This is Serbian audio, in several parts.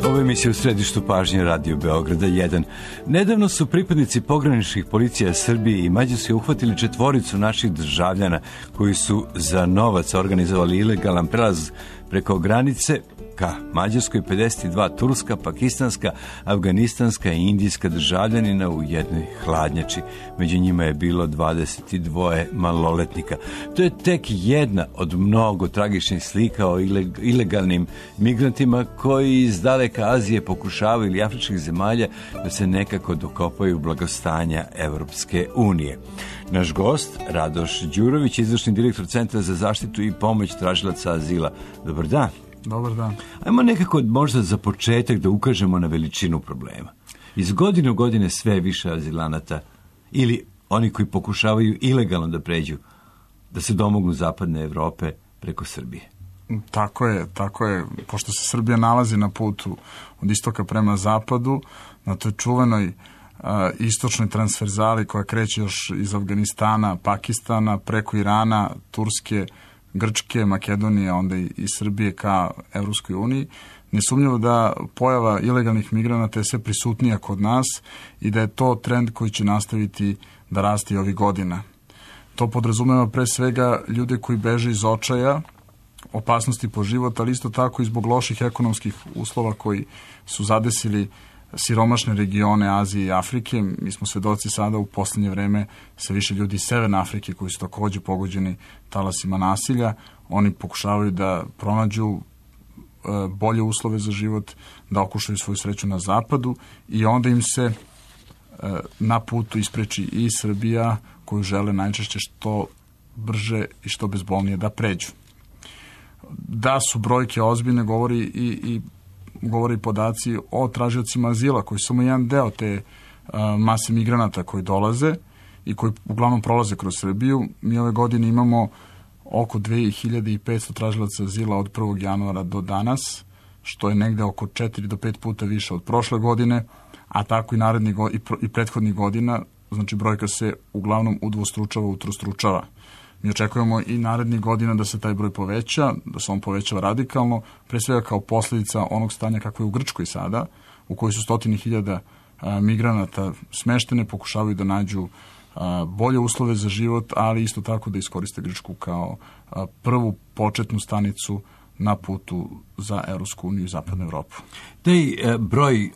Ovo emisija u središtu pažnje Radio Beograda 1. Nedavno su pripadnici pograničnih policija Srbije i Mađarske uhvatili 4 naših državljana koji su za novac organizovali ilegalan prelaz preko granice ka Mađarskoj, 52 turska, pakistanska, afganistanska i indijska državljanina u jednoj hladnjači. Među njima je bilo 22 maloletnika. To je tek jedna od mnogo tragičnih slika o ilegalnim migrantima koji iz daleka Azije pokušavaju ili afričkih zemalja da se nekako dokopaju blagostanja Evropske unije. Naš gost, Radoš Đurović, izvršni direktor Centra za zaštitu i pomoć tražilaca azila. Dobar dan. Dobar dan. Ajmo nekako možda za početak da ukažemo na veličinu problema. Iz godine u godine sve više azilanata ili oni koji pokušavaju ilegalno da pređu, da se domognu zapadne Evrope preko Srbije. Tako je. Pošto se Srbija nalazi na putu od istoka prema zapadu, na toj čuvenoj istočnoj transverzali koja kreće još iz Afganistana, Pakistana, preko Irana, Turske, Grčke, Makedonije, onda i Srbije ka Evropskoj uniji, nesumnjivo da pojava ilegalnih migranata je sve prisutnija kod nas i da je to trend koji će nastaviti da raste i ovih godina. To podrazumeva pre svega ljude koji beže iz očaja, opasnosti po život, ali isto tako i zbog loših ekonomskih uslova koji su zadesili siromašne regione Azije i Afrike. Mi smo svedoci sada u poslednje vreme sa više ljudi iz Severne Afrike koji su takođe pogođeni talasima nasilja. Oni pokušavaju da pronađu bolje uslove za život, da okušaju svoju sreću na zapadu i onda im se na putu ispreči i Srbija koju žele najčešće što brže i što bezbolnije da pređu. Da su brojke ozbiljne govori podaci o tražiocima azila, koji su samo jedan deo te mase migranata koji dolaze i koji uglavnom prolaze kroz Srbiju. Mi ove godine imamo oko 2500 tražilaca azila od 1. januara do danas, što je negde oko 4 do 5 puta više od prošle godine, a tako i prethodnih godina, znači brojka se uglavnom udvostručava, utrostručava. Mi očekujemo i narednih godina da se taj broj poveća, da se on povećava radikalno, pre svega kao posljedica onog stanja kako je u Grčkoj sada, u kojoj su 100.000 migranata smeštene, pokušavaju da nađu bolje uslove za život, ali isto tako da iskoriste Grčku kao prvu početnu stanicu na putu za Evropsku uniju i Zapadnu Evropu. Taj broj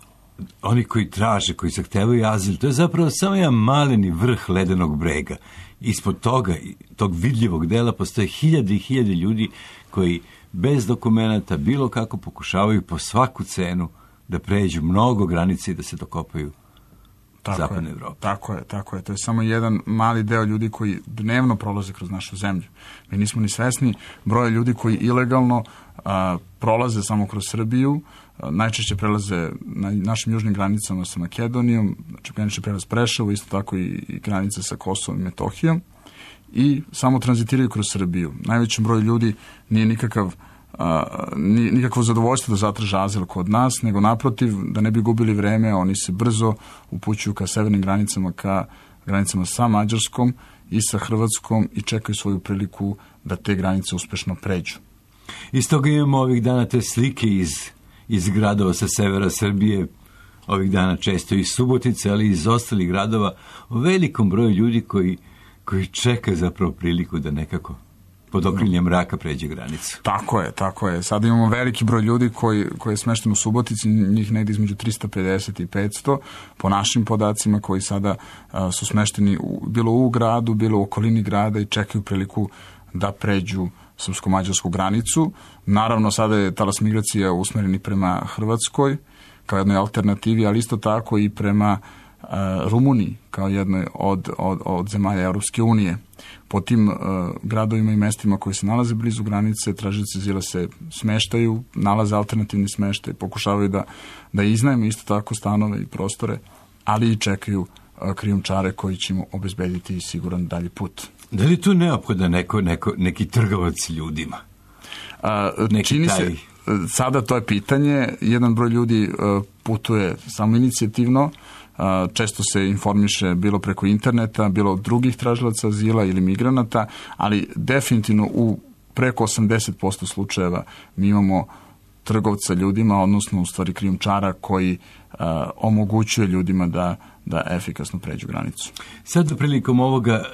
oni koji traže, koji zahtevaju azil, to je zapravo samo jedan maleni vrh ledenog brega. Ispod toga, tog vidljivog dela, postoje hiljade i hiljade ljudi koji bez dokumenata bilo kako pokušavaju po svaku cenu da pređu mnogo granice i da se dokopaju Zapadne Evrope. Tako je. To je samo jedan mali deo ljudi koji dnevno prolaze kroz našu zemlju. Mi nismo ni svesni broja ljudi koji ilegalno prolaze samo kroz Srbiju, najčešće prelaze na našim južnim granicama sa Makedonijom, znači granični prelaz Preševo, isto tako i granica sa Kosovom i Metohijom, i samo tranzitiraju kroz Srbiju. Najvećem broju ljudi nije nikakvo zadovoljstvo da zatraže azil kod nas, nego naprotiv, da ne bi gubili vreme, oni se brzo upućuju ka severnim granicama, ka granicama sa Mađarskom i sa Hrvatskom i čekaju svoju priliku da te granice uspešno pređu. Iz toga imamo ovih dana te slike iz gradova sa severa Srbije, ovih dana često iz Subotice, ali i iz ostalih gradova, o velikom broju ljudi koji čeka zapravo priliku da nekako pod okriljem mraka pređe granicu. Tako je. Sada imamo veliki broj ljudi koji je smešten u Subotici, njih negdje između 350 i 500, po našim podacima, koji sada su smešteni bilo u gradu, bilo u okolini grada i čekaju priliku da pređu srpsko-mađarsku granicu. Naravno, sada je talas migracija usmereni prema Hrvatskoj kao jednoj alternativi, ali isto tako i prema Rumuniji kao jednoj od zemalja Evropske unije. Po tim gradovima i mestima koji se nalaze blizu granice, tražioci azila se smeštaju, nalaze alternativni smeštaj, pokušavaju da iznajme isto tako stanove i prostore, ali i čekaju krijumčare koji će im obezbediti siguran dalji put. Da li je tu neophodan neki trgovac ljudima? Čini se, sada to je pitanje. Jedan broj ljudi putuje samoinicijativno, često se informiše bilo preko interneta, bilo od drugih tražilaca azila ili migranata, ali definitivno u preko 80% slučajeva mi imamo trgovca ljudima, odnosno u stvari krijumčara koji omogućuje ljudima da efikasno pređu granicu. Sad prilikom ovoga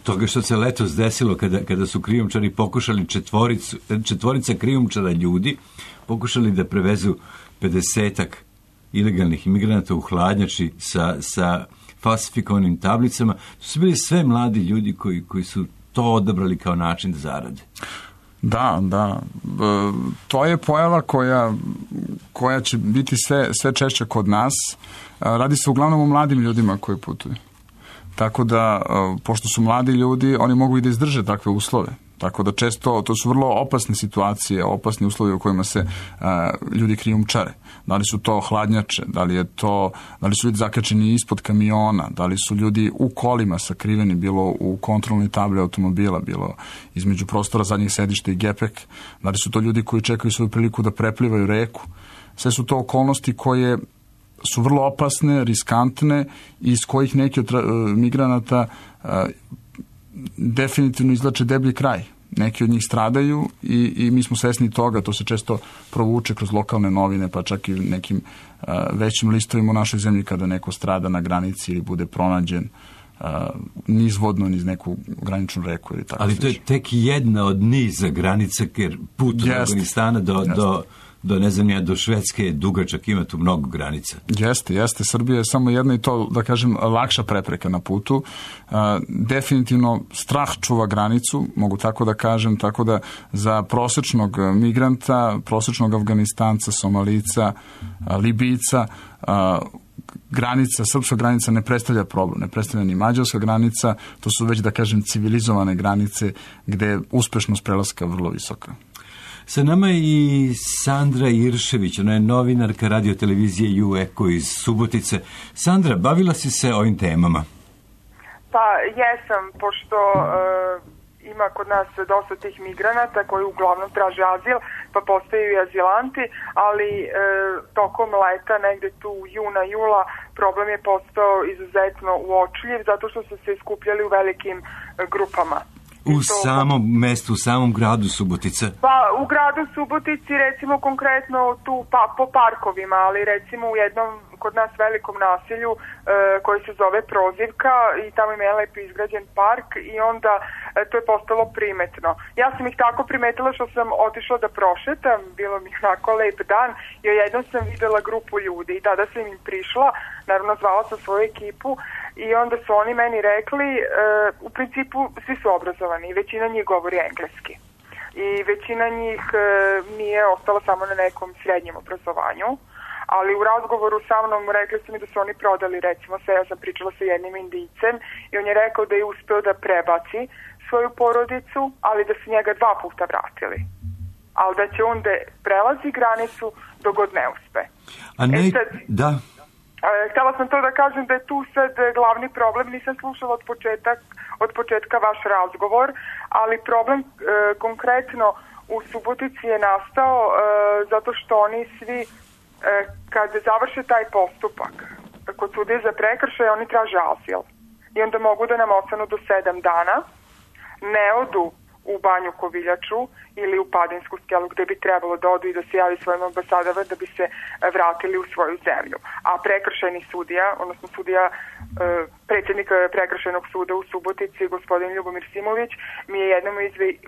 toga što se letos desilo kada su krijumčari pokušali četvorica krijumčara ljudi pokušali da prevezu 50-ak ilegalnih imigranata u hladnjači sa falsifikovanim tablicama, to su bili sve mladi ljudi koji su to odabrali kao način da zarade. Da. To je pojava koja će biti sve češće kod nas. Radi se uglavnom o mladim ljudima koji putuju. Tako da, pošto su mladi ljudi, oni mogu i da izdrže takve uslove. Tako da često, to su vrlo opasne situacije, opasni uslovi u kojima se ljudi krijumčare. Da li su to hladnjače, da li su ljudi zakačeni ispod kamiona, da li su ljudi u kolima sakriveni, bilo u kontrolnoj tabli automobila, bilo između prostora zadnjih sedišta i gepek, da li su to ljudi koji čekaju svoju priliku da preplivaju reku. Sve su to okolnosti koje su vrlo opasne, riskantne i iz kojih neki od migranata definitivno izvlače deblji kraj. Neki od njih stradaju i mi smo svesni toga, to se često provuče kroz lokalne novine, pa čak i nekim većim listovima u našoj zemlji kada neko strada na granici ili bude pronađen nizvodno niz neku graničnu reku ili tako. Ali to je tek jedna od niza granica, jer put od Afganistana do Švedske je dugačak, ima tu mnogo granica. Jeste. Srbija je samo jedna i to, da kažem, lakša prepreka na putu. Definitivno strah čuva granicu, mogu tako da kažem, tako da za prosečnog migranta, prosečnog Afganistanca, Somalica, Libijca, srpska granica ne predstavlja problem, ne predstavlja ni mađarska granica, to su već, da kažem, civilizovane granice gde je uspešnost prelaska vrlo visoka. Sa nama je i Sandra Iršević, ona je novinarka radiotelevizije UEKO iz Subotice. Sandra, bavila si se ovim temama? Pa jesam, pošto ima kod nas dosta tih migranata koji uglavnom traže azil, pa postaju i azilanti, ali tokom leta, negde tu juna, jula, problem je postao izuzetno uočljiv, zato što su se iskupljali u velikim grupama. U samom mestu, u samom gradu Subotica? Pa u gradu Subotici, recimo konkretno tu po parkovima, ali recimo u jednom kod nas velikom naselju koji se zove Prozivka i tamo ima lepo izgrađen park i onda to je postalo primetno. Ja sam ih tako primetila što sam otišla da prošetam, bilo mi onako lep dan i jednom sam videla grupu ljudi i tada sam im prišla, naravno zvala sam svoju ekipu i onda su oni meni rekli, u principu svi su obrazovani i većina njih govori engleski. I većina njih nije ostala samo na nekom srednjem obrazovanju, ali u razgovoru sa mnom rekli su mi da su oni prodali, recimo ja sam pričala sa jednim Indijcem i on je rekao da je uspeo da prebaci svoju porodicu, ali da su njega 2 puta vratili. Ali da će on da prelazi granicu dok god ne uspe. Da. Htjela sam to da kažem da je tu sad glavni problem, nisam slušala od početka vaš razgovor, ali problem konkretno u Subotici je nastao zato što oni svi kad završe taj postupak kod suda za prekršaj oni traže azil i onda mogu da nam ostanu do 7 dana, ne odu u Banju Koviljaču ili u Padinsku skelu gde bi trebalo da odu i da se javi svojim ambasadama da bi se vratili u svoju zemlju. A prekršajni sudija, odnosno sudija predsjednik prekršajnog suda u Subotici, gospodin Ljubomir Simović, mi je jednom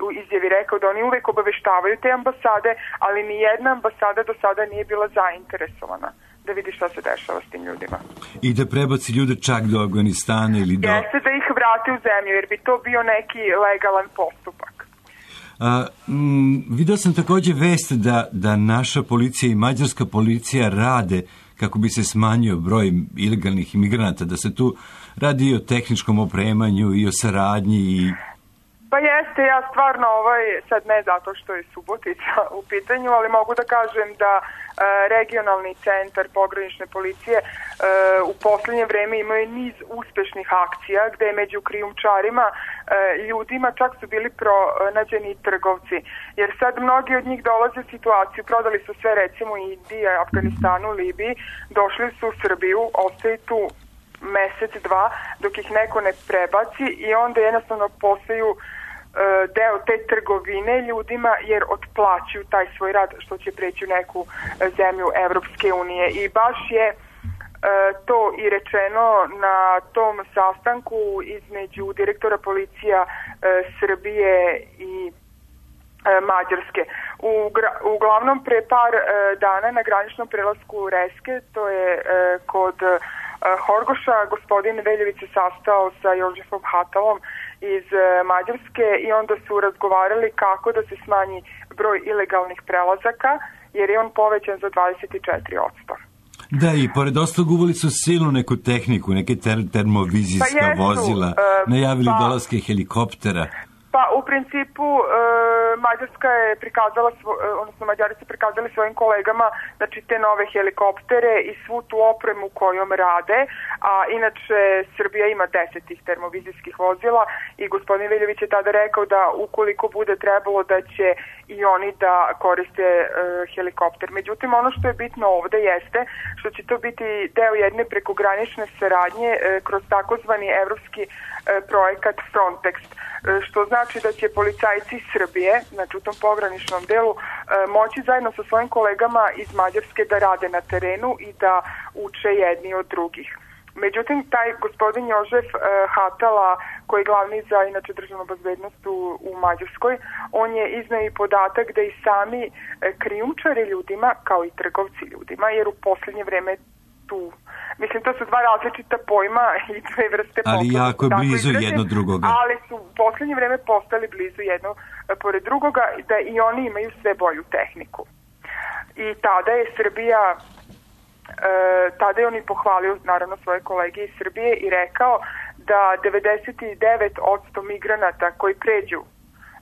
u izjavi rekao da oni uvek obaveštavaju te ambasade, ali ni jedna ambasada do sada nije bila zainteresovana da vidi šta se dešava s tim ljudima. I da prebaci ljude čak do Afganistana ili do... Jeste da ih vrati u zemlju, jer bi to bio neki legalan postupak. Vidio sam također vest da naša policija i mađarska policija rade kako bi se smanjio broj ilegalnih imigranata, da se tu radi i o tehničkom opremanju i o saradnji i... Pa jeste, ja stvarno sad ne zato što je Subotica u pitanju, ali mogu da kažem da regionalni centar pogranične policije u posljednje vreme imaju niz uspešnih akcija gde je među krijumčarima ljudima čak su bili pronađeni trgovci. Jer sad mnogi od njih dolaze u situaciju, prodali su sve recimo u Indiji, Afganistanu, Libiji, došli su u Srbiju, ostaju tu mesec, 2 dok ih neko ne prebaci i onda jednostavno postaju deo te trgovine ljudima, jer otplaćuju taj svoj rad što će preći u neku zemlju Evropske unije. I baš je to i rečeno na tom sastanku između direktora policija Srbije i Mađarske. Uglavnom pre par dana na graničnom prelasku Reske, to je kod Horgoša, gospodin Veljević se sastao sa Jožefom Hatalom iz Mađarske i onda su razgovarali kako da se smanji broj ilegalnih prelazaka, jer je on povećan za 24%. Da, i pored ostalog uveli su silnu neku tehniku, neke termovizijska vozila, najavili dolaske helikoptera. Pa u principu Mađarska je prikazala, odnosno Mađari su prikazali svojim kolegama, znači te nove helikoptere i svu tu opremu kojom rade, a inače Srbija ima 10 tih termovizijskih vozila i gospodin Veljević je tada rekao da ukoliko bude trebalo da će i oni da koriste helikopter. Međutim, ono što je bitno ovde jeste što će to biti deo jedne prekogranične saradnje kroz takozvani evropski projekat Frontex, što znači da će policajci Srbije, znači u tom pograničnom delu, moći zajedno sa svojim kolegama iz Mađarske da rade na terenu i da uče jedni od drugih. Međutim, taj gospodin Jožef Hatala, koji je glavni za inače državnu bezbednost u Mađarskoj, on je izneo i podatak da i sami krijumčare ljudima, kao i trgovci ljudima, jer u posljednje vreme tu, mislim, to su dva različita pojma i dve vrste poslova. Ali jako blizu jedno drugoga. Ali su u posljednje vreme postali blizu jedno pored drugoga, da i oni imaju sve bolju tehniku. I tada je Srbija, tada je on i pohvalio naravno svoje kolege iz Srbije i rekao da 99% migranata koji pređu,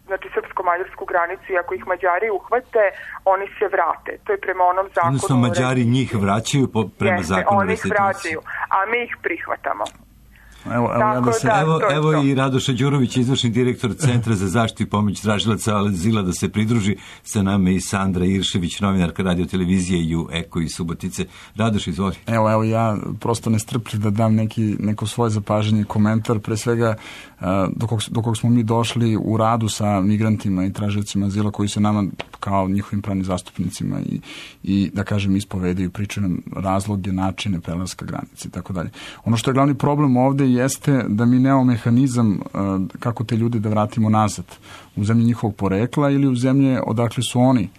znači srpsko-mađarsku granicu, i ako ih Mađari uhvate, oni se vrate. To je prema onom zakonu. Odnosno, Mađari njih vraćaju prema zakonu oni ih vraćaju, a mi ih prihvatamo. Evo i Radoša Đurović, izvršni direktor Centra za zaštitu i pomoć tražilaca azila, da se pridruži sa nama, i Sandra Iršević, novinarka radio televizije i Eko iz Subotice. Radoš, izvoli. Evo ja prosto nestrpljiv da dam neko svoje zapažanje i komentar, pre svega do kog smo mi došli u radu sa migrantima i tražiocima azila koji se nama kao njihovim pravnim zastupnicima i da kažem ispovedaju, pričaju nam razloge, načine prelaska granice i tako dalje. Ono što je glavni problem ovde jeste da mi nemamo mehanizam kako te ljude da vratimo nazad u zemlje njihovog porekla ili u zemlje odakle su oni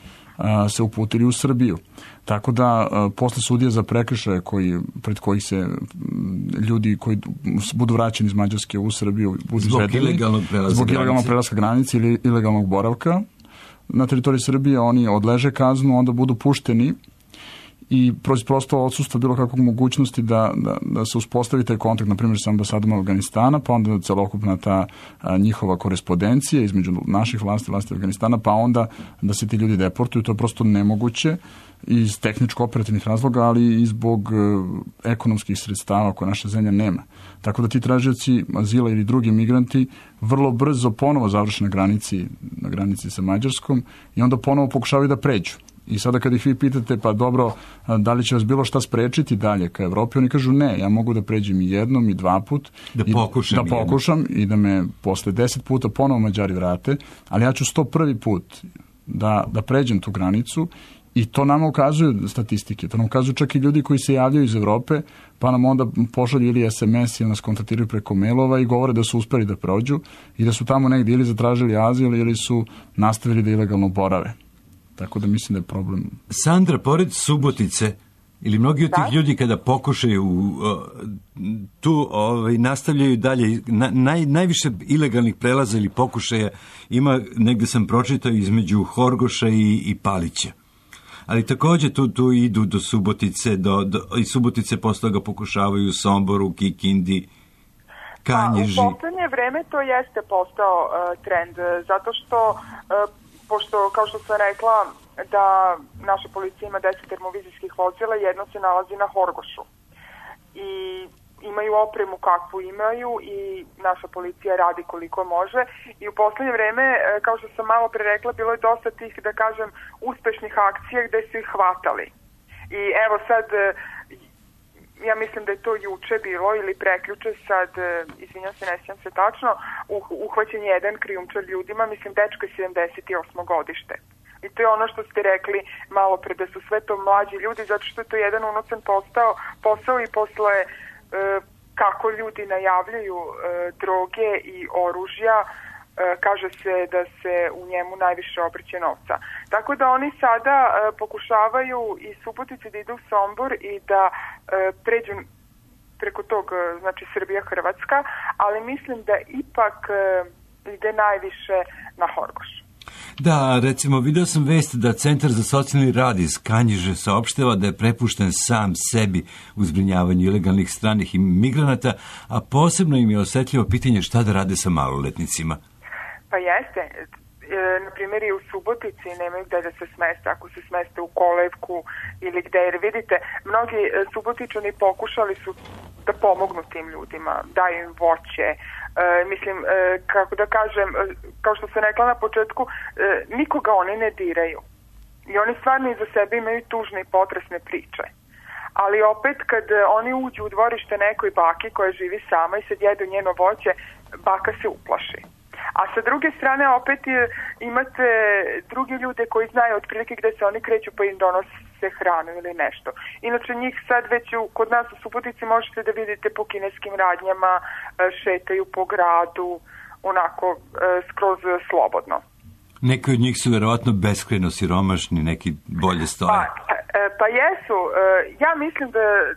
se uputili u Srbiju. Tako da posle sudija za prekršaje pred kojih se ljudi koji budu vraćeni iz Mađarske u Srbiju zbog ilegalnog prelaska granice ili ilegalnog boravka na teritoriji Srbije, oni odleže kaznu, onda budu pušteni i prosto odsustvo bilo kakvog mogućnosti da se uspostavi taj kontakt, na primjer sa ambasadom Afganistana, pa onda celokupna ta njihova korespondencija između naših vlasti Afganistana, pa onda da se ti ljudi deportuju. To je prosto nemoguće iz tehničko-operativnih razloga, ali i zbog ekonomskih sredstava koje naša zemlja nema. Tako da ti tražioci azila ili drugi migranti vrlo brzo ponovo završe na granici sa Mađarskom i onda ponovo pokušavaju da pređu. I sada kad ih vi pitate, pa dobro, da li će vas bilo šta sprečiti dalje ka Evropi, oni kažu ne, ja mogu da pređem i jednom i dva put, da pokušam i da me posle 10 puta ponovo Mađari vrate, ali ja ću 101. put da pređem tu granicu. I to nama ukazuju statistike, to nam ukazuju čak i ljudi koji se javljaju iz Evrope, pa nam onda pošalju ili SMS ili nas kontaktiraju preko mailova i govore da su uspeli da prođu i da su tamo negdje ili zatražili azil ili su nastavili da ilegalno borave. Tako da mislim da je problem. Sandra, pored Subotice, ili mnogi od tih ljudi kada pokušaju tu nastavljaju dalje, najviše ilegalnih prelaza ili pokušaja ima, negde sam pročitao, između Horgoša i Palića. Ali također tu idu do Subotice, i Subotice posle toga pokušavaju u Somboru, Kikindi, Kanjiži. U poslednje vreme to jeste postao trend, zato što, pošto, kao što sam rekla, da naša policija ima 10 termovizijskih vozila, jedno se nalazi na Horgošu. I imaju opremu kakvu imaju i naša policija radi koliko može i u poslednje vreme, kao što sam malo pre rekla, bilo je dosta tih, da kažem, uspešnih akcija gde su ih hvatali. I evo sad, ja mislim da je to juče bilo ili prekjuče, sad, izvinjam se, ne sjećam se tačno, uhvaćen je jedan krijumčar ljudima, mislim, dečko je 78. godište. I to je ono što ste rekli malo pre, da su sve to mlađi ljudi, zato što je to jedan unosan posao i posle kako ljudi najavljuju droge i oružja, kaže se da se u njemu najviše obrće novca. Tako da oni sada pokušavaju iz Subotice da idu u Sombor i da pređu preko tog, znači Srbija-Hrvatska, ali mislim da ipak ide najviše na Horgoš. Da, recimo, video sam vest da Centar za socijalni rad iz Kanjiže saopštava da je prepušten sam sebi u zbrinjavanju ilegalnih stranih migranata, a posebno im je osetljivo pitanje šta da rade sa maloletnicima. Pa jeste. Na primjer i u Subotici nemaju gde da se smeste, ako se smeste u kolevku ili gde, jer vidite, mnogi Subotičani pokušali su da pomognu tim ljudima, daju im voće, mislim, kako da kažem, kao što sam rekla na početku, nikoga oni ne diraju i oni stvarno iza sebe imaju tužne i potresne priče. Ali opet kad oni uđu u dvorište nekoj baki koja živi sama i sad jedu njeno voće, baka se uplaši. A sa druge strane opet imate druge ljude koji znaju otprilike gde se oni kreću pa im donose hranu ili nešto. Inače njih sad već kod nas u Subotici možete da vidite po kineskim radnjama, šetaju po gradu, onako skroz slobodno. Neki od njih su verovatno beskrajno siromašni, neki bolje stoje. Pa jesu. Ja mislim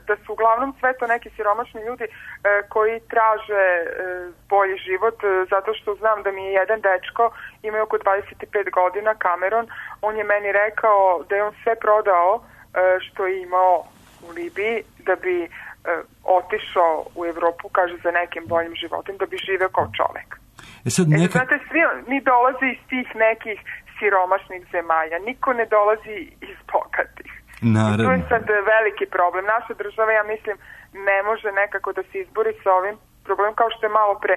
da su uglavnom sve to neki siromašni ljudi koji traže bolji život, zato što znam da mi je jedan dečko, ima oko 25 godina, Cameron, on je meni rekao da je on sve prodao što je imao u Libiji da bi otišao u Evropu, kaže, za nekim boljim životom, da bi živeo kao čovek. Znate, svi mi dolaze iz tih nekih siromašnih zemalja, niko ne dolazi iz bogatih. Naravno. I to je sad veliki problem. Naša država, ja mislim, ne može nekako da se izbori sa ovim problemom, kao što je malo pre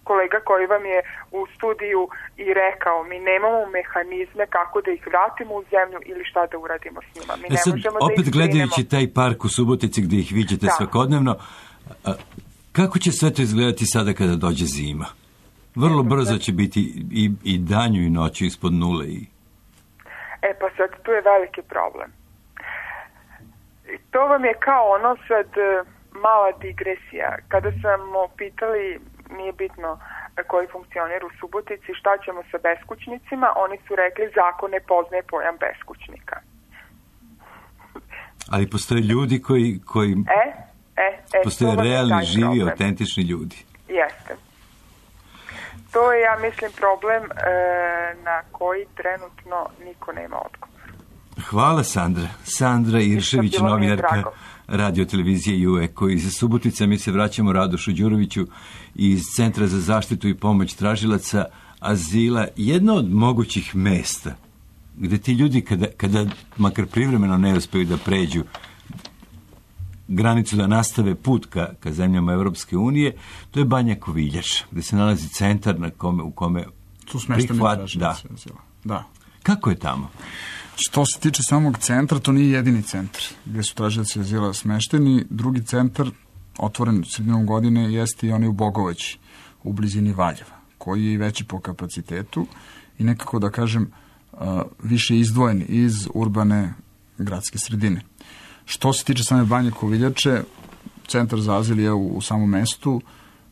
kolega koji vam je u studiju i rekao, mi nemamo mehanizme kako da ih vratimo u zemlju ili šta da uradimo s njima. Mi ne sad, možemo opet da ih gledajući taj park u Subotici gde ih viđete svakodnevno, kako će sve to izgledati sada kada dođe zima? Vrlo brzo će biti i danju i noću ispod nule. Pa sad tu je veliki problem. To vam je kao ono sad mala digresija. Kada sam pitali, nije bitno koji funkcioner u Subotici, šta ćemo sa beskućnicima, oni su rekli zakon ne poznaje pojam beskućnika. Ali postoje ljudi koji postoje realni, živi, autentični ljudi. Jeste. To je, ja mislim, problem na koji trenutno niko nema odgovor. Hvala, Sandra. Sandra Iršević, novinarka radio-televizije UEKO. Iz Subotica mi se vraćamo Radošu Đuroviću iz Centra za zaštitu i pomoć tražilaca azila. Jedno od mogućih mesta gde ti ljudi kada makar privremeno ne uspeju da pređu granicu, da nastave put ka zemljama Evropske unije, to je Banja Koviljača, gde se nalazi centar u kome tu smešteni tražilaci azila. Da. Kako je tamo? Što se tiče samog centra, to nije jedini centar gde su tražilaci azila smešteni. Drugi centar, otvoren sredinom godine, jeste i onaj u Bogovaći, u blizini Valjeva, koji je i veći po kapacitetu i nekako, da kažem, više izdvojen iz urbane gradske sredine. Što se tiče same Banje Koviljače, centar za azil je u samom mestu,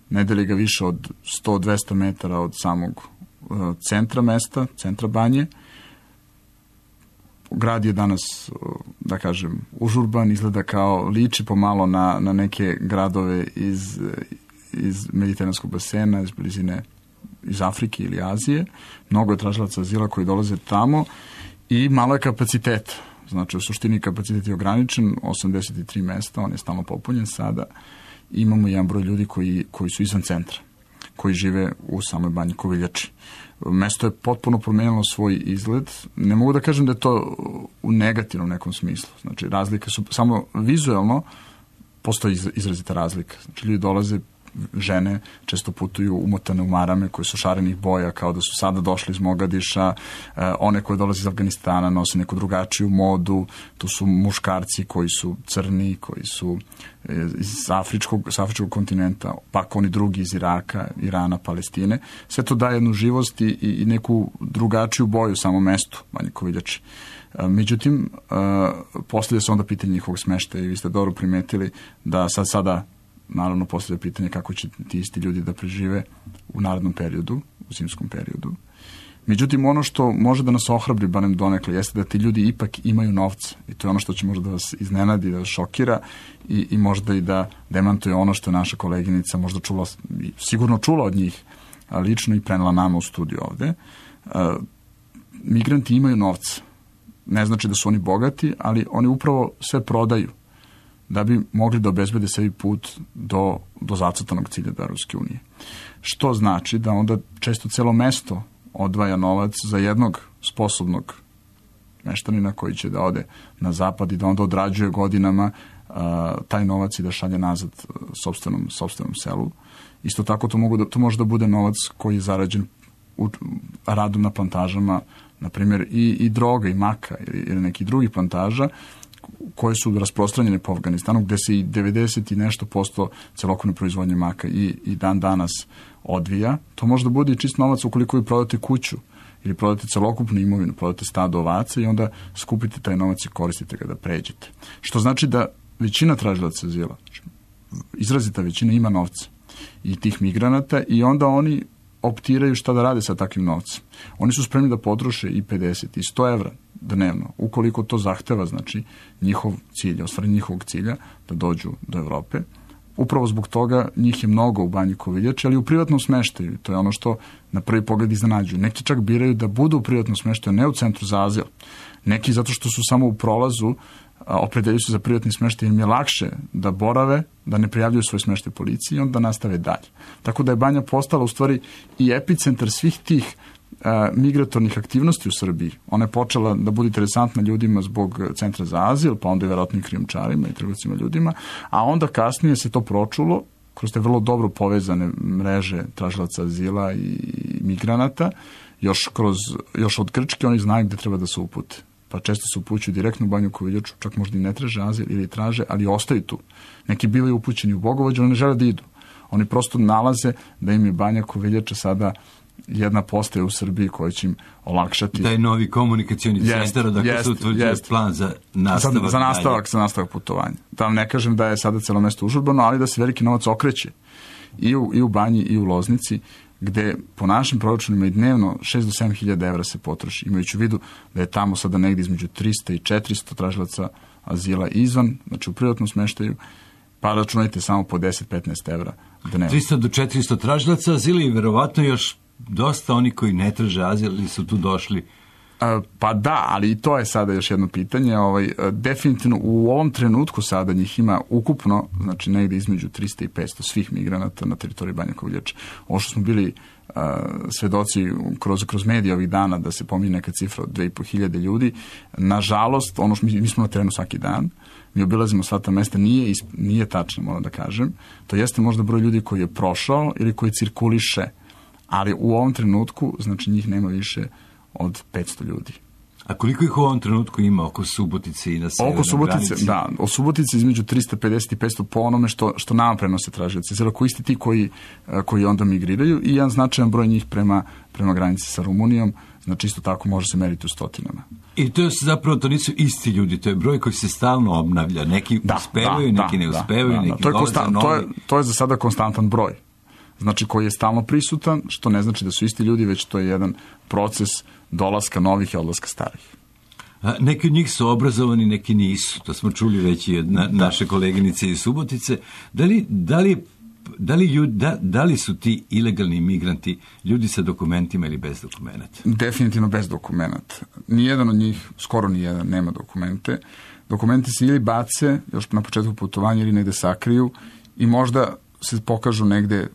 ne deli ga više od 100-200 metara od samog centra mesta, centra Banje. Grad je danas, da kažem, užurban, izgleda kao, liči pomalo na neke gradove iz Mediteranskog basena, iz blizine, iz Afrike ili Azije. Mnogo je tražilaca azila koji dolaze tamo i malo je kapaciteta. Znači, u suštini kapacitet je ograničen, 83 mesta, on je stalno popunjen sada. Imamo jedan broj ljudi koji su izvan centra, koji žive u samoj Banji Koviljači. Mesto je potpuno promenilo svoj izgled. Ne mogu da kažem da je to u negativnom nekom smislu. Znači, razlike su, samo vizuelno postoji izrazita razlika. Znači, ljudi dolaze žene često putuju umotane u marame koje su šarenih boja, kao da su sada došli iz Mogadiša, one koje dolaze iz Afganistana nose neku drugačiju modu, tu su muškarci koji su crni, koji su iz afričkog kontinenta, pak oni drugi iz Iraka, Irana, Palestine. Sve to daje jednu živost i neku drugačiju boju u samom mestu Banje Koviljači. Međutim, postavlja se onda pitanje njihovog smeštaja i vi ste dobro primetili da sada naravno postavlja pitanje kako će ti isti ljudi da prežive u narednom periodu, u zimskom periodu. Međutim, ono što može da nas ohrabri, barem donekle, jeste da ti ljudi ipak imaju novca. I to je ono što će možda da vas iznenadi, da vas šokira i možda i da demantuje ono što je naša koleginica možda čula, sigurno čula od njih lično i prenela nama u studiju ovde. Migranti imaju novca. Ne znači da su oni bogati, ali oni upravo sve prodaju da bi mogli da obezbede sebi put do zacrtanog cilja do Evropske unije. Što znači da onda često celo mesto odvaja novac za jednog sposobnog meštanina koji će da ode na zapad i da onda odrađuje godinama taj novac i da šalje nazad sopstvenom selu. Isto tako to može da bude novac koji je zarađen radom na plantažama, na primjer i droga i maka ili nekih drugih plantaža koje su rasprostranjene po Afganistanu, gde se i 90 i nešto posto celokupne proizvodnje maka i dan danas odvija. To može da bude i čist novac ukoliko vi prodate kuću ili prodate celokupnu imovinu, prodate stado ovaca i onda skupite taj novac i koristite ga da pređete. Što znači da većina tražilaca azila, izrazita većina, ima novca i tih migranata i onda oni optiraju šta da rade sa takvim novcem. Oni su spremni da potroše i 50 i 100 evra dnevno, ukoliko to zahteva, znači, njihov cilj, ostvarenje njihovog cilja da dođu do Evrope. Upravo zbog toga njih je mnogo u Banji Koviljači, ali u privatnom smeštaju. To je ono što na prvi pogled iznenađuju. Neki čak biraju da budu u privatnom smeštaju, ne u centru za azil. Neki zato što su samo u prolazu, opredeljuju se za privatni smeštaj, im je lakše da borave, da ne prijavljuju svoj smeštaj policiji i onda nastave dalje. Tako da je Banja postala u stvari i epicentar svih tih migratornih aktivnosti u Srbiji. Ona je počela da bude interesantna ljudima zbog centra za azil, pa onda i verovatno i krijumčarima i trgovcima ljudima, a onda kasnije se to pročulo kroz te vrlo dobro povezane mreže tražilaca azila i migranata, još od Grčke oni znaju gde treba da se upute. Pa često se upućuju direktno u Banju Koviljaču, čak možda i ne traže azil ili traže, ali ostaju tu. Neki bivaju upućeni u Bogovođu, ali ne žele da idu. Oni prosto nalaze da im je Banja Koviljača sada jedna postaja u Srbiji koja će im olakšati. Taj novi komunikacioni centar, dakle se utvrđuje plan za nastavak. Za nastavak putovanja. Da vam ne kažem da je sada celo mesto užurbano, ali da se veliki novac okreće i u Banji i u Loznici, gde po našim proračunima i dnevno 6 do 7 hiljada evra se potroši, imajući u vidu da je tamo sada negdje između 300 i 400 tražilaca azila izvan, znači u privatnom smeštaju, pa računajte samo po 10-15 evra dnevno. 300 do 400 tražilaca azila i verovatno još dosta oni koji ne traže azil ili su tu došli. Pa da, ali i to je sada još jedno pitanje. Definitivno u ovom trenutku sada njih ima ukupno, znači negdje između 300 i 500 svih migranata na teritoriji Banje Koviljače. Ovo što smo bili svedoci kroz medije ovih dana da se pominje neka cifra od 2500 ljudi, nažalost, ono što mi smo na terenu svaki dan, mi obilazimo sva ta mesta, nije tačno, moram da kažem. To jeste možda broj ljudi koji je prošao ili koji cirkuliše, ali u ovom trenutku, znači njih nema više od 500 ljudi. A koliko ih u ovom trenutku ima oko Subotice i na severnoj granici? Da, o Subotici između 350 i 500 po onome što nama prenose tražioci. Zelo koji isti ti koji onda migriraju i jedan značajan broj njih prema granici sa Rumunijom, znači isto tako može se meriti u stotinama. I to nisu isti ljudi, to je broj koji se stalno obnavlja. Neki uspevaju, neki ne uspevaju, neki dolaze novi. To je za sada konstantan broj. Znači koji je stalno prisutan, što ne znači da su isti ljudi, već to je jedan proces dolaska novih i odlaska starih. Neki od njih su obrazovani, neki nisu. To smo čuli već i od naše koleginice iz Subotice. Da li su ti ilegalni migranti ljudi sa dokumentima ili bez dokumenata? Definitivno bez dokumenata. Nijedan od njih, skoro nijedan, nema dokumente. Dokumenti se ili bace još na početku putovanja ili negde sakriju i možda se pokažu negde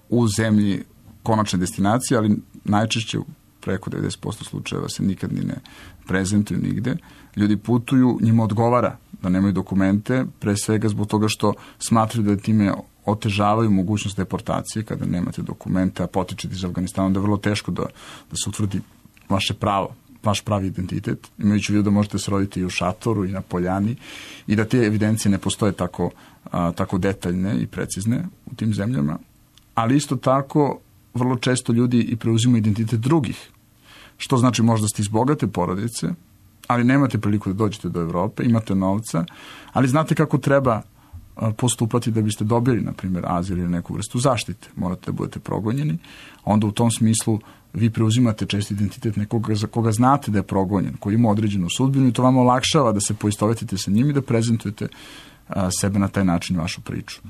u zemlji konačne destinacije, ali najčešće preko 90% slučajeva se nikad ni ne prezentuju nigde. Ljudi putuju, njima odgovara da nemaju dokumente, pre svega zbog toga što smatraju da time otežavaju mogućnost deportacije kada nemate dokumente, a potičete iz Afganistana, onda je vrlo teško da se utvrdi vaše pravo, vaš pravi identitet, imajući u vidu da možete se roditi i u šatoru i na poljani i da te evidencije ne postoje tako detaljne i precizne u tim zemljama, ali isto tako vrlo često ljudi i preuzimaju identitet drugih, što znači možda ste iz bogate porodice, ali nemate priliku da dođete do Evrope, imate novca, ali znate kako treba postupati da biste dobili, na primjer, azil ili neku vrstu zaštite. Morate da budete progonjeni. Onda u tom smislu vi preuzimate često identitet nekoga za koga znate da je progonjen, koji ima određenu sudbinu i to vam olakšava da se poistovetite sa njim i da prezentujete sebe na taj način, vašu priču.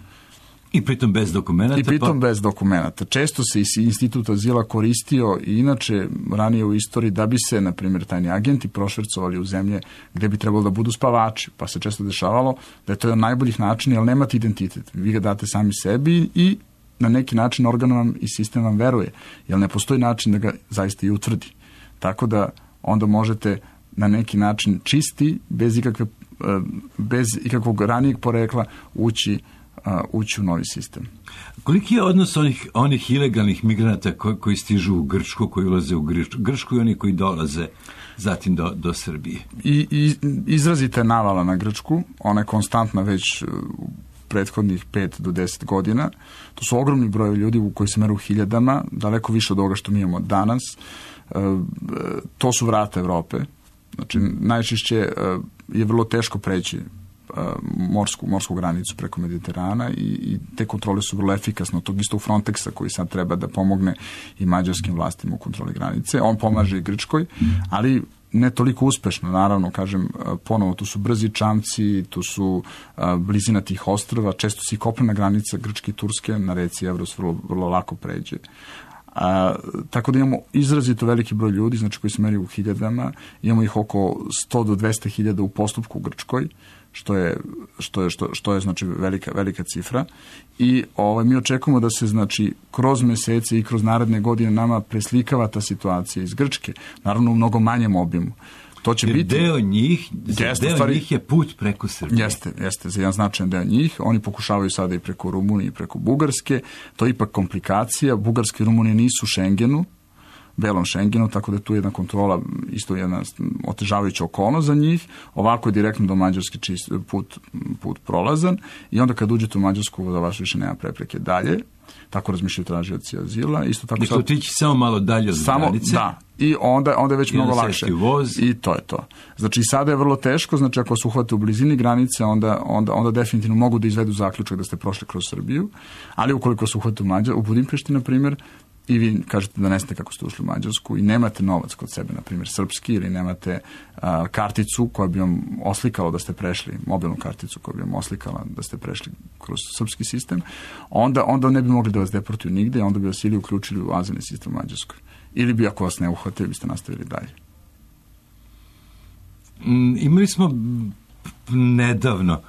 I pritom bez dokumenta? Bez dokumenta. Često se institut azila koristio i inače ranije u istoriji da bi se, na primjer, tajni agenti prošvercovali u zemlje gde bi trebalo da budu spavači, pa se često dešavalo da je to jedan najboljih načina, jer nemate identitet. Vi ga date sami sebi i na neki način organ vam i sistem vam veruje, jer ne postoji način da ga zaista i utvrdi. Tako da onda možete na neki način čisti, bez ikakvog ranijeg porekla ući u novi sistem. Koliki je odnos onih ilegalnih migranata koji stižu u Grčku, koji ulaze u Grčku i oni koji dolaze zatim do Srbije? I izrazita je navala na Grčku, ona je konstantna već prethodnih 5 do 10 godina. To su ogromni broj ljudi koji se meru u hiljadama, daleko više od ovoga što mi imamo danas. To su vrata Evrope. Znači, najčešće je vrlo teško preći morsku granicu preko Mediterana i te kontrole su vrlo efikasne od tog istog Frontexa koji sad treba da pomogne i mađarskim vlastima u kontroli granice. On pomaže i Grčkoj, ali ne toliko uspešno, naravno, kažem, ponovo, tu su brzi čamci, tu su blizina tih ostrva, često se i kopnena granica Grčke i Turske na reci Evros vrlo lako pređe. Tako da imamo izrazito veliki broj ljudi, znači koji se meri u hiljadama, imamo ih oko 100 do 200 hiljada u postupku u Grčkoj, što je znači velika cifra i mi očekujemo da se znači kroz mesece i kroz naredne godine nama preslikava ta situacija iz Grčke, naravno u mnogo manjem obimu. To će biti deo njih je put preko Srbije. Jeste, za jedan značajan deo njih. Oni pokušavaju sada i preko Rumunije i preko Bugarske. To je ipak komplikacija. Bugarska i Rumunija nisu u Šengenu, belom Šengenu, tako da je tu jedna kontrola, isto jedna otežavajuća okolnost za njih. Ovako je direktno do Mađarske put prolazan i onda kad uđete u Mađarsku da vaš više nema prepreke dalje. Tako razmišljaju tražioci azila. Isto tako sad otići samo malo dalje od granice. Da. I onda je već mnogo lakše. I to je to. Znači sada je vrlo teško, znači ako se uhvate u blizini granice, onda definitivno mogu da izvedu zaključak da ste prošli kroz Srbiju, ali ukoliko se uhvate u Budimpešti, na primjer, i vi kažete da ne znate kako ste ušli u Mađarsku i nemate novac kod sebe, na primjer srpski, ili nemate karticu koja bi vam oslikala da ste prešli, mobilnu karticu koja bi vam oslikala da ste prešli kroz srpski sistem, onda ne bi mogli da vas deportuju nigde, onda bi vas ili uključili u azilni sistem u Mađarskoj. Ili bi, ako vas ne uhvatili, biste nastavili dalje. Imali smo nedavno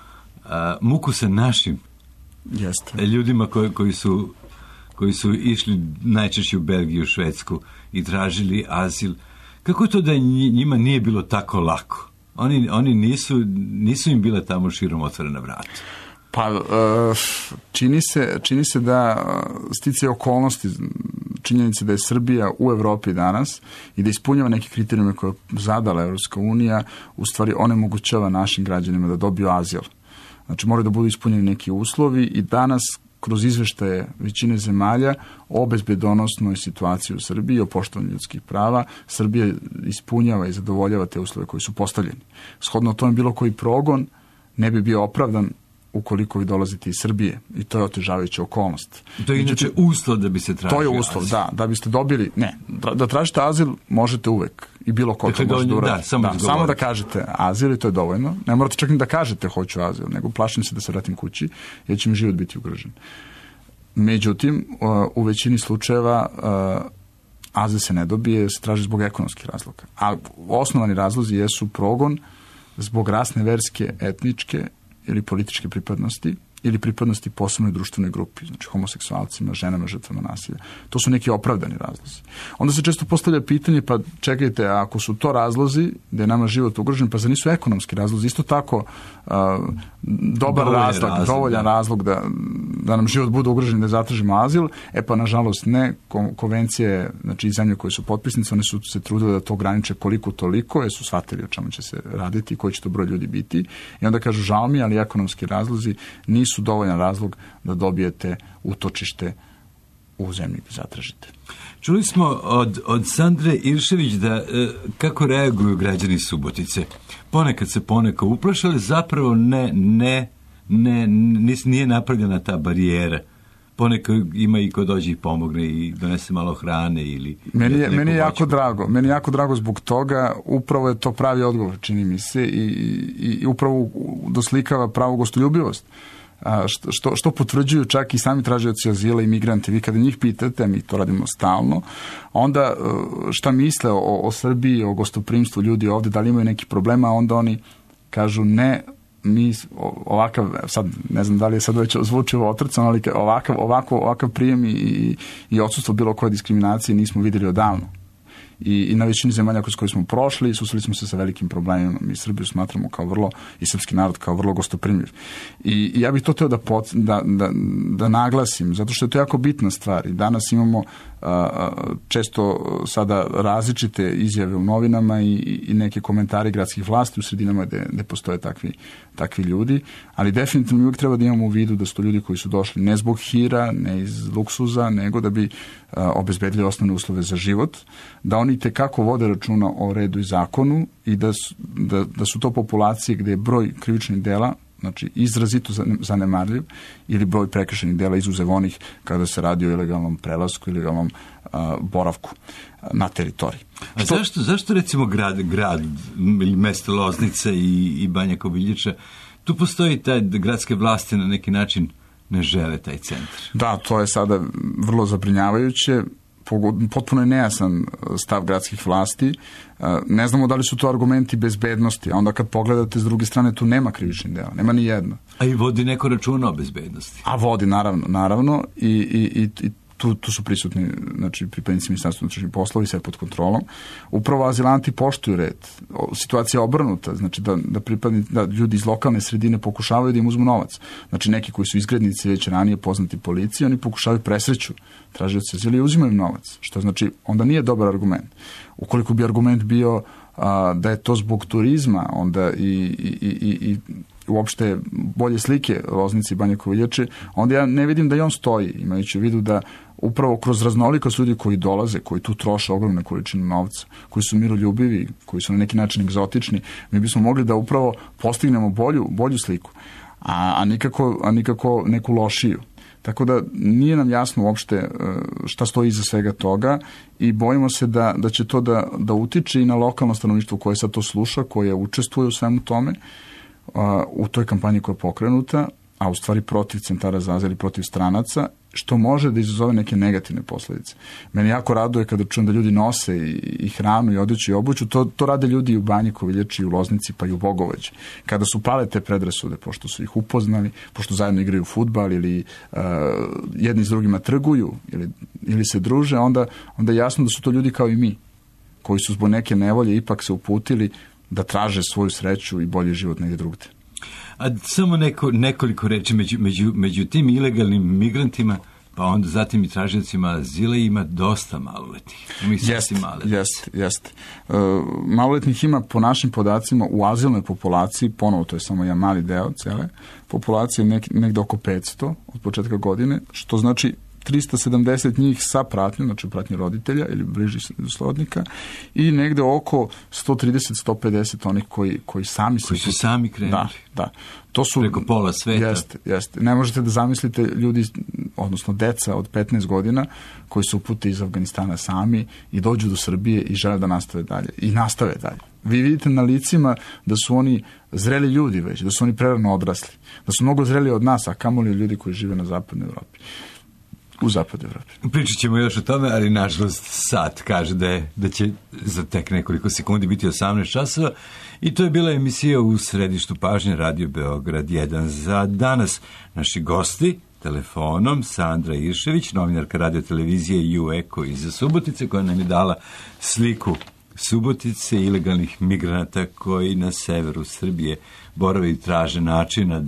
muku sa našim ljudima koji su išli najčešće u Belgiju, Švedsku i tražili azil. Kako je to da njima nije bilo tako lako? Oni nisu im bile tamo širom otvorena vrata. Pa, čini se da sticaje okolnosti, činjenice da je Srbija u Evropi danas i da ispunjava neke kriterijume koje je zadala Evropska unija, u stvari onemogućava našim građanima da dobiju azil. Znači, moraju da budu ispunjeni neki uslovi i danas kroz izveštaje većine zemalja o bezbedonosnoj situaciji u Srbiji, o poštovanju ljudskih prava, Srbija ispunjava i zadovoljava te uslove koji su postavljeni. Shodno tome bilo koji progon ne bi bio opravdan ukoliko vi dolazite iz Srbije i to je otežavajuća okolnost. To je inače uslov da bi se tražio azil. To je uslov, da biste dobili, da tražite azil možete uvek i bilo ko to može da uradi. Samo da kažete azil i to je dovoljno. Ne morate čak ni da kažete hoću azil, nego plašim se da se vratim kući jer će mi život biti ugrožen. Međutim, u većini slučajeva azil se ne dobije, se traži zbog ekonomskih razloga. A osnovani razlozi jesu progon zbog rasne, verske, etničke ili političke pripadnosti ili pripadnosti posebnoj društvenoj grupi, znači homoseksualcima, ženama, žrtvama nasilja. To su neki opravdani razlozi. Onda se često postavlja pitanje, pa čekajte, ako su to razlozi da je nama život ugrožen, pa za nisu ekonomski razlozi, isto tako dovoljan razlog da nam život bude ugrožen, da zatražimo azil, pa nažalost ne. Konvencije, znači zemlje koje su potpisnice, one su se trudile da to ograniče koliko toliko, jer su shvatili o čemu će se raditi i koji će to broj ljudi biti. I onda kažu, žao mi, ali ekonomski razlozi nisu dovoljan razlog da dobijete utočište u zemlji gdje zatražite. Čuli smo od Sandre Iršević da kako reaguju građani Subotice. Ponekad se poneko uplašali, zapravo nije napravljena ta barijera. Ponekad ima i ko dođe i pomogne i donese malo hrane ili... Meni je jako drago zbog toga, upravo je to pravi odgovor, čini mi se, i upravo doslikava pravu gostoljubivost. Što potvrđuju čak i sami tražioci azila i migranti. Vi kada njih pitate, mi to radimo stalno, onda šta misle o Srbiji, o gostoprimstvu ljudi ovde, da li imaju neki problema, onda oni kažu ne, mi ovakav, sad ne znam da li je sad već zvučivo otrcano, ali ovakav prijem i odsustvo bilo koje diskriminacije nismo vidjeli odavno. I na većini zemalja kroz koje smo prošli susreli smo se sa velikim problemima. Mi Srbiju smatramo kao vrlo, i srpski narod kao vrlo gostoprimljiv. I ja bih to teo da naglasim, zato što je to jako bitna stvar. I danas imamo često sada različite izjave u novinama i neke komentari gradskih vlasti u sredinama gde postoje takvi ljudi, ali definitivno uvijek treba da imamo u vidu da su to ljudi koji su došli ne zbog hira, ne iz luksuza, nego da bi obezbedili osnovne uslove za život, da oni tekako vode računa o redu i zakonu i da su to populacije gde je broj krivičnih dela, znači izrazito zanemarljiv, ili broj prekršajnih dela izuzev onih kada se radi o ilegalnom prelasku, ilegalnom boravku na teritoriji. A zašto recimo grad ili mesto Loznica i Banja Koviljiča, tu postoji taj gradske vlasti na neki način ne žele taj centar? Da, to je sada vrlo zabrinjavajuće. Potpuno je nejasan stav gradskih vlasti. Ne znamo da li su to argumenti bezbednosti, a onda kad pogledate s druge strane tu nema krivičnih dela, nema ni jedno. A i vodi neko računa o bezbednosti? A vodi, naravno, i tu su prisutni, znači, pripadnici Ministarstva unutrašnjih poslova i sve pod kontrolom. Upravo azilanti poštuju red. Situacija je obrnuta, znači da ljudi iz lokalne sredine pokušavaju da im uzmu novac. Znači neki koji su izgrednici već ranije poznati policiji, oni pokušavaju presreću tražioci azila i uzimaju im novac. Što znači, onda nije dobar argument. Ukoliko bi argument bio da je to zbog turizma, onda i uopšte bolje slike Loznice i Banje Koviljače, onda ja ne vidim da i on stoji, imajući u vidu da upravo kroz raznolikost ljudi koji dolaze, koji tu troše ogromne količine novca, koji su miroljubivi, koji su na neki način egzotični, mi bismo mogli da upravo postignemo bolju sliku, a nikako neku lošiju. Tako da nije nam jasno uopšte šta stoji iza svega toga i bojimo se da će to da utiče i na lokalno stanovništvo koje sad to sluša, koje učestvuje u svemu tome, u toj kampanji koja je pokrenuta, a u stvari protiv centara za azil i protiv stranaca, što može da izazove neke negativne posledice. Meni jako raduje kada čujem da ljudi nose i hranu i odeću i obuću, to rade ljudi i u Banji Koviljači, i u Loznici, pa i u Bogovađi. Kada su pale te predrasude, pošto su ih upoznali, pošto zajedno igraju fudbal ili jedni s drugima trguju ili se druže, onda je jasno da su to ljudi kao i mi, koji su zbog neke nevolje ipak se uputili da traže svoju sreću i bolji život negdje drugde. A samo nekoliko reči među tim ilegalnim migrantima, pa onda zatim i tražiocima azila ima dosta maloletnih. Jeste. Maloletnih ima po našim podacima u azilnoj populaciji, ponovo to je samo jedan mali deo cele populacije, negde oko 500 od početka godine, što znači 370 njih sa pratnjom, znači pratnje roditelja ili bližih srodnika, i negde oko 130-150 onih koji sami su sami krenuli. Da. To su preko pola sveta. Jeste. Ne možete da zamislite ljudi, odnosno deca od 15 godina koji se upute iz Afganistana sami i dođu do Srbije i žele da nastave dalje. Vi vidite na licima da su oni zreli ljudi već, da su oni prerano odrasli, da su mnogo zreli od nas, a kamoli od ljudi koji žive na zapadnoj Evropi. U zapadnoj Evropi. Pričat ćemo još o tome, ali nažalost sat kaže da će za tek nekoliko sekundi biti 18 časova i to je bila emisija u središtu pažnje Radio Beograd 1. Za danas naši gosti telefonom Sandra Iršević, novinarka radio televizije U Eko iz Subotice, koja nam je dala sliku Subotice ilegalnih migranata koji na severu Srbije borave i traže načina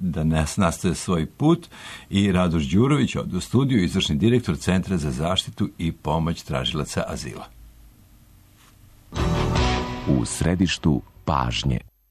da nastave svoj put, i Radoš Đurović od u studiju, izvršni direktor Centra za zaštitu i pomoć tražilaca azila. U središtu pažnje.